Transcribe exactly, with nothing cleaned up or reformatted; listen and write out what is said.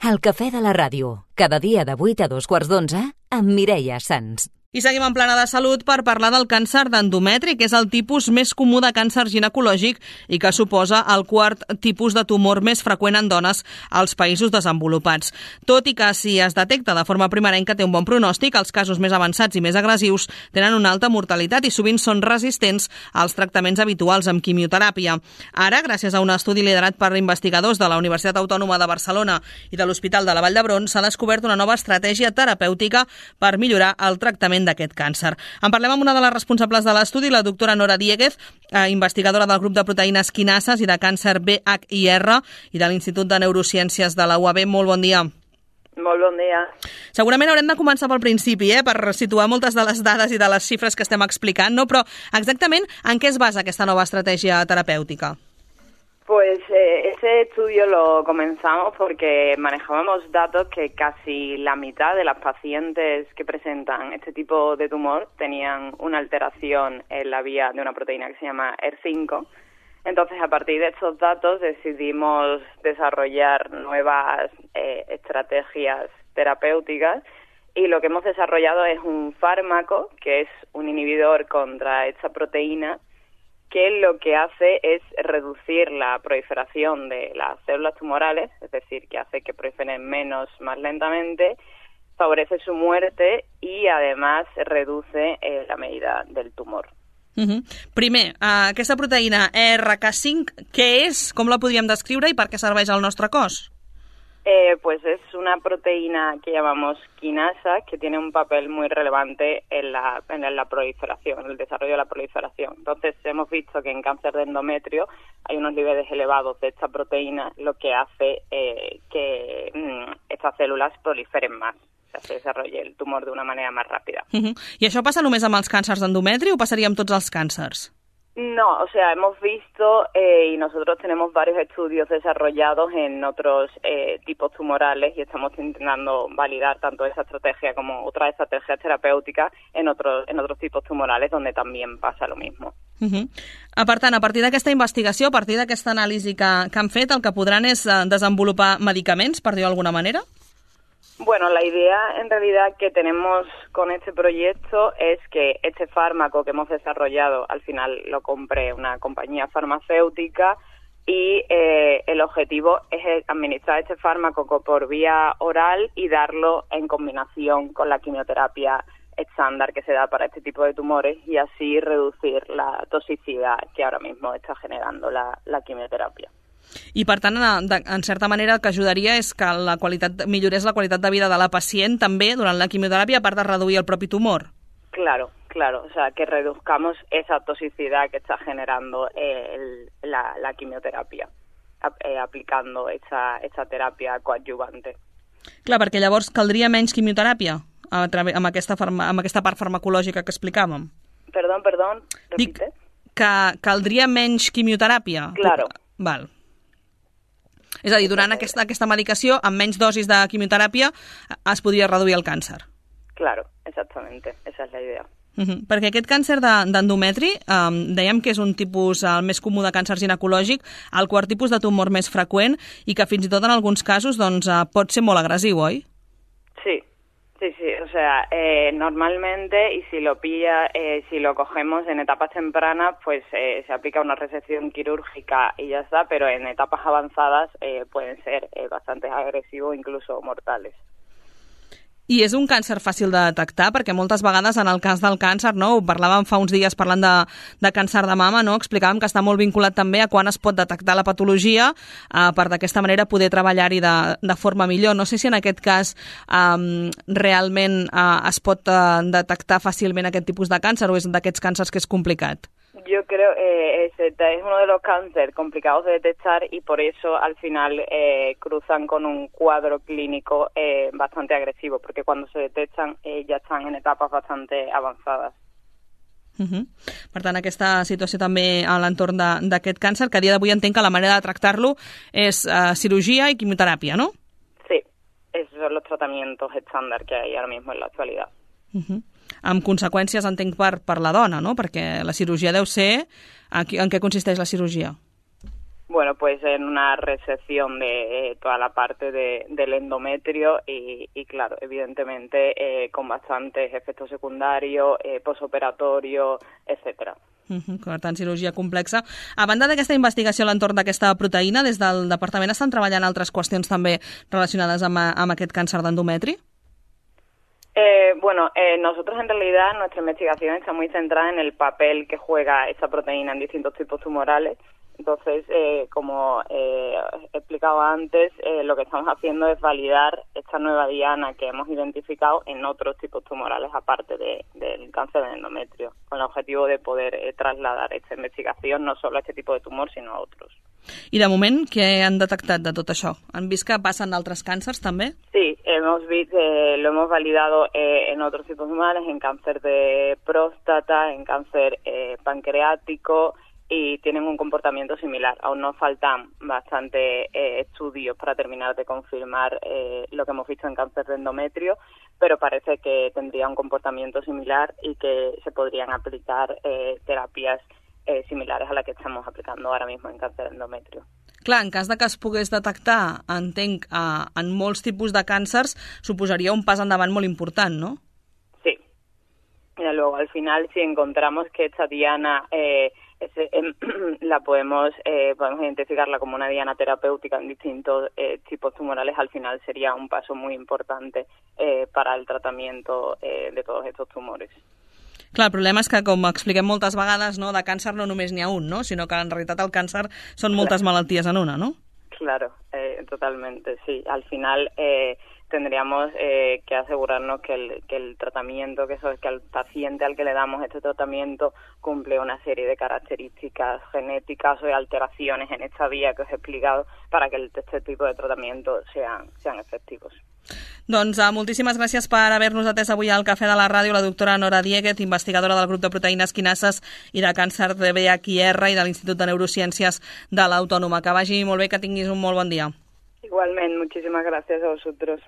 El cafè de la ràdio, cada dia de vuit a dos quarts d'onze, amb Mireia Sans. I seguim en plana de salut per parlar del càncer d'endometri, que és el tipus més comú de càncer ginecològic i que suposa el quart tipus de tumor més freqüent en dones als països desenvolupats. Tot i que si es detecta de forma primerenca té un bon pronòstic, els casos més avançats i més agressius tenen una alta mortalitat i sovint són resistents als tractaments habituals amb quimioteràpia. Ara, gràcies a un estudi liderat per investigadors de la Universitat Autònoma de Barcelona i de l'Hospital de la Vall d'Hebron, s'ha descobert una nova estratègia terapèutica per millorar el tractament d'aquest càncer. En parlem amb una de les responsables de l'estudi, la doctora Nora Dieguez, eh, investigadora del grup de proteïnes quinases i de càncer B H I R i de l'Institut de Neurociències de la U A B. Molt bon dia. Molt bon dia. Segurament haurem de començar pel principi, eh, per situar moltes de les dades i de les xifres que estem explicant, no? Però exactament en què es basa aquesta nova estratègia terapèutica? Pues eh, ese estudio lo comenzamos porque manejábamos datos que casi la mitad de las pacientes que presentan este tipo de tumor tenían una alteración en la vía de una proteína que se llama E R cinco. Entonces, a partir de estos datos decidimos desarrollar nuevas eh, estrategias terapéuticas y lo que hemos desarrollado es un fármaco que es un inhibidor contra esta proteína que lo que hace es reducir la proliferación de las células tumorales, es decir, que hace que proliferen menos, más lentamente, favorece su muerte y además reduce eh, la medida del tumor. Uh-huh. Primer, uh, aquesta proteïna E R K cinc, què és, com la podríem descriure i per què serveix al nostre cos? Eh, pues es una proteína que llamamos quinasa que tiene un papel muy relevante en la, en la proliferación, en el desarrollo de la proliferación. Entonces hemos visto que en cáncer de endometrio hay unos niveles elevados de esta proteína, lo que hace eh, que mmm, estas células proliferen más, o sea, se desarrolle el tumor de una manera más rápida. Uh-huh. I això passa només amb els càncers d'endometri o passaria amb tots els càncers? No, o sea, hemos visto eh, y nosotros tenemos varios estudios desarrollados en otros eh, tipos tumorales y estamos intentando validar tanto esa estrategia como otras estrategias terapéuticas en otros en otros tipos tumorales donde también pasa lo mismo. Uh-huh. Per tant, a partir d'aquesta investigació, a partir d'aquesta anàlisi que, que han fet, el que podran és desenvolupar medicaments, per dir-ho d'alguna manera? Bueno, la idea en realidad que tenemos con este proyecto es que este fármaco que hemos desarrollado al final lo compre una compañía farmacéutica y eh, el objetivo es administrar este fármaco por vía oral y darlo en combinación con la quimioterapia estándar que se da para este tipo de tumores y así reducir la toxicidad que ahora mismo está generando la, la quimioterapia. I, per tant, en, en certa manera el que ajudaria és que la qualitat, millorés la qualitat de vida de la pacient també durant la quimioteràpia, a part de reduir el propi tumor. Claro, claro, o sea, que reduzcamos esa toxicidad que está generando eh, el, la, la quimioterapia, eh, aplicando esta, esta terapia coadyuvante. Clar, perquè llavors caldria menys quimioteràpia a través, amb, aquesta farma, amb aquesta part farmacològica que explicàvem. Perdó, perdó, repite. Dic que caldria menys quimioteràpia. Claro. Val. És a dir, durant aquesta, aquesta medicació, amb menys dosis de quimioteràpia, es podria reduir el càncer. Claro, exactamente, esa es la idea. Uh-huh. Perquè aquest càncer d'endometri, de, um, dèiem que és un tipus el més comú de càncer ginecològic, el quart tipus de tumor més freqüent i que fins i tot en alguns casos doncs, uh, pot ser molt agressiu, oi? Sí. Sí, sí, o sea, eh, normalmente, y si lo pilla, eh, si lo cogemos en etapas tempranas, pues eh, se aplica una resección quirúrgica y ya está, pero en etapas avanzadas eh, pueden ser eh, bastante agresivos, incluso mortales. I és un càncer fàcil de detectar, perquè moltes vegades en el cas del càncer, no, ho parlàvem fa uns dies parlant de, de càncer de mama, no, explicàvem que està molt vinculat també a quan es pot detectar la patologia eh, per d'aquesta manera poder treballar-hi de, de forma millor. No sé si en aquest cas eh, realment eh, es pot eh, detectar fàcilment aquest tipus de càncer o és d'aquests càncers que és complicat. Yo creo que eh, es uno de los cánceres complicados de detectar y por eso al final eh, cruzan con un cuadro clínico eh, bastante agresivo, porque cuando se detectan eh, ya están en etapas bastante avanzadas. Uh-huh. Per tant, aquesta situació també a l'entorn d'aquest càncer, que a dia d'avui entenc que la manera de tractar-lo és uh, cirugía y quimioterapia, ¿no? Sí, esos son los tratamientos estándar que hay ahora mismo en la actualidad. Uh-huh. Amb conseqüències, entenc, per, per la dona, no? Perquè la cirurgia deu ser... En què consisteix la cirurgia? Bueno, pues en una resección de eh, toda la parte de, del endometrio y, y claro, evidentemente eh, con bastantes efectos secundarios, eh, posoperatorio, etcétera. Uh-huh, per tant, cirurgia complexa. A banda d'aquesta investigació a l'entorn d'aquesta proteïna, des del departament estan treballant altres qüestions també relacionades amb, amb aquest càncer d'endometri? Eh, bueno, eh, nosotros en realidad nuestra investigación está muy centrada en el papel que juega esa proteína en distintos tipos tumorales. Entonces, eh, como eh, he explicado antes, eh, lo que estamos haciendo es validar esta nueva diana que hemos identificado en otros tipos tumorales aparte de, del cáncer de endometrio, con el objetivo de poder eh, trasladar esta investigación no solo a este tipo de tumor, sino a otros. I de moment, què han detectat de tot això? Han vist que passen altres càncers també? Sí, hemos visto, eh, lo hemos validado eh, en otros tipos tumorales, en cáncer de próstata, en cáncer eh, pancreático, y tienen un comportamiento similar. Aún nos faltan bastante eh, estudios para terminar de confirmar eh, lo que hemos visto en cáncer de endometrio, pero parece que tendría un comportamiento similar y que se podrían aplicar eh, terapias eh, similares a la que estamos aplicando ahora mismo en cáncer de endometrio. Clar, en cas de que es pogués detectar, entenc, eh, en molts tipus de càncers, suposaria un pas endavant molt important, no? Sí. Y luego, al final, si encontramos que esta diana eh, Ese, eh, la podemos eh, podemos identificarla como una diana terapéutica en distintos eh, tipos tumorales, al final sería un paso muy importante eh, para el tratamiento eh, de todos estos tumores. Clar, el problema és que, com expliquem moltes vegades, no, de càncer no només n'hi ha un, no? Sinó que en realitat el càncer són moltes claro. malalties en una, no? Claro, eh, totalmente, sí. Al final eh, tendríamos eh, que asegurarnos que el, que el tratamiento, que eso es que al paciente al que le damos este tratamiento cumple una serie de características genéticas o de alteraciones en esta vía que os he explicado para que el, este tipo de tratamiento sean, sean efectivos. Doncs uh, moltíssimes gràcies per haver-nos atès avui al Cafè de la Ràdio la doctora Nora Dieguez, investigadora del grup de proteïnes quinases i de càncer de V I H i R i de l'Institut de Neurociències de l'Autònoma. Que vagi molt bé, que tinguis un molt bon dia. Igualmente, muchísimas gracias a vosotros.